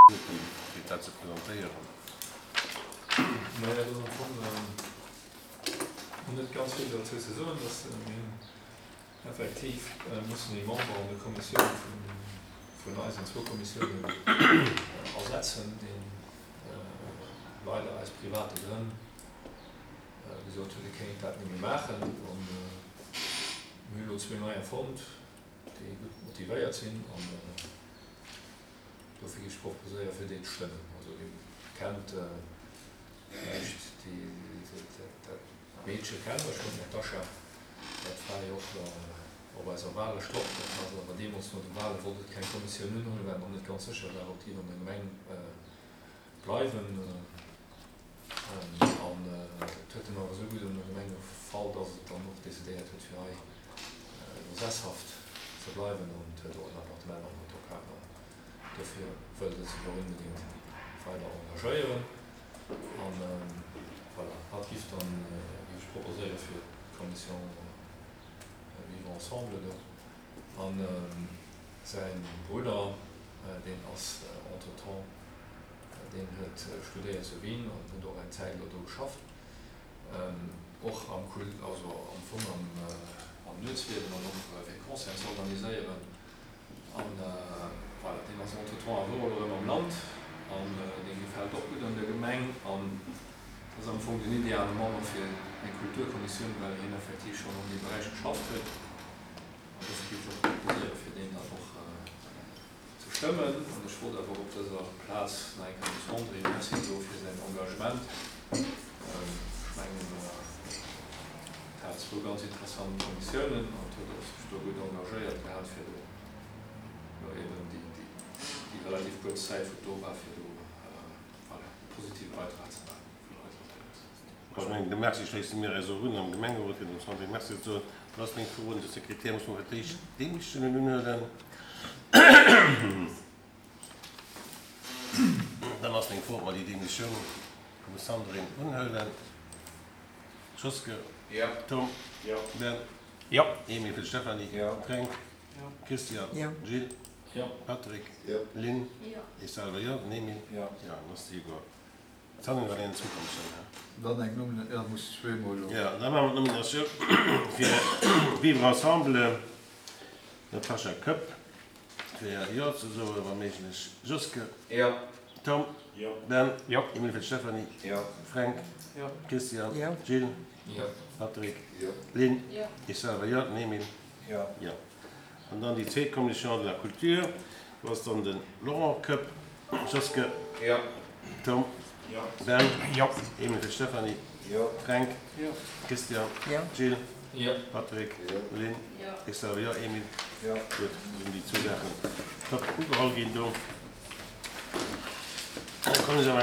Minutten, fir dat ze presentéieren. Maja, dat ass am Fong net ganz vill dozou ze soen, dass mir hunn effektiv mussen ee Member an der Kommissioun vun eisen zwou Kommissiounen ersetzen, deen leider aus private Grënn gesot huet, e kéint dat net méi maachen. An mir hunn elo zwee neier fonnt, déi gutt motivéiert sinn an Dofir gi ech proposéieren, fir déi ze stëmmen. Also Dir kennt vläicht dat Meedche kennt Der schonn, d'Natascha. Dat war jo och op eiser Wahllëscht drop. Dat ass awer deemools no de Wahle wollt et keng Kommissioun unhuelen, well mer net ganz sécher war, ob déi an der Gemeng bleiwen. An et huet em awer esou gutt an der Gemeng gefall, dass et dann och decidéiert huet, fir hei elo sesshaft ze bleiwen an et huet och en Appartement am Hotel kaf an dofir wëllt e sech och onbedéngt weider engagéieren. An voilà, hatt giff dann, géif ech proposéieren, fir d'Commission Vivre ensemble do. An säi Brudder, deen ass entretemps, deen huet studéiert zu Wien an huet och eng Zäit elo do geschafft. Och am Kult, also am Fong am Nuetsliewen an och fir Concerten ze organiséieren. An voilà, deen ass entretemps awer och elo erëm am Land an deem gefält och gutt an der Gemeng. An ass am Fong den ideale Mann och fir eng Kulturkommissioun, well hien effektiv schonn an deem Beräich geschafft huet. An dofir géif ech och proposéieren, fir deen dann och ze stëmmen. An ech wollt awer och op dëser Plaz nach eng Kéier dem Sandrine Merci soe fir säin Engagement. Ech mengen, et hat zwou ganz interessant Kommissiounen an et huet och sech do gutt engagéiert gehat, fir do jo eben déi relativ kuerz Zäit, wou et do war, fir do, voilà, e positive Beitrag ze maachen vun eiser Säit aus. Ech mengen, de Merci schléisse mir eis och un am Gemengerot, fir dem Sandrine Merci ze soen. Do ass meng Fro un de Sekretär, Muss mer fir d'éischt d'Démissiounen unhuelen? Dann ass meng Fro, ob mer déi Demissioun vum Sandrine unhuelen. Joske? Jo. Tom? Jo. Ben? Jo. Emil fir d'Stéphanie? Jo. Fränk? Jo. Christian? Jo. Jill? Jo. Patrick? Jo. Lynn? Jo. Ech selwer jo. Den Emil? Jo. Jo, dann ass déi ugeholl. D'Sanne war eng Zukunftsschoul, he? Dann eng Nominatioun, jo, muss zweemol elo. Jo, da maache mer d'Nominatioun fir Vivre ensemble, Natascha Koepp, fir Jo ze soen, wa méiglech. Joske? Jo. Tom? Jo. Ben? Jo. Emile fir d'Stéphanie? Jo. Fränk? Jo. Christian? Jo. Gilles? Jo. Patrick? Jo. Lynn? Jo. Ech selwer jo. Den Emile? Jo. Jo. An dann déi zweet Commission de la Culture, do ass dann de Laurent Koepp, Joske, Jo. Tom, Jo. Ben, Jo. Emil fir d'Stéphanie, Jo. Fränk, Jo. Christian, Jo. Gilles, Jo. Patrick, Jo. Lynn, Jo. ech selwer jo, Emile. Jo. Gutt, da sinn déi zwou Saachen top ugeholl ginn do. Da kommen ech awer.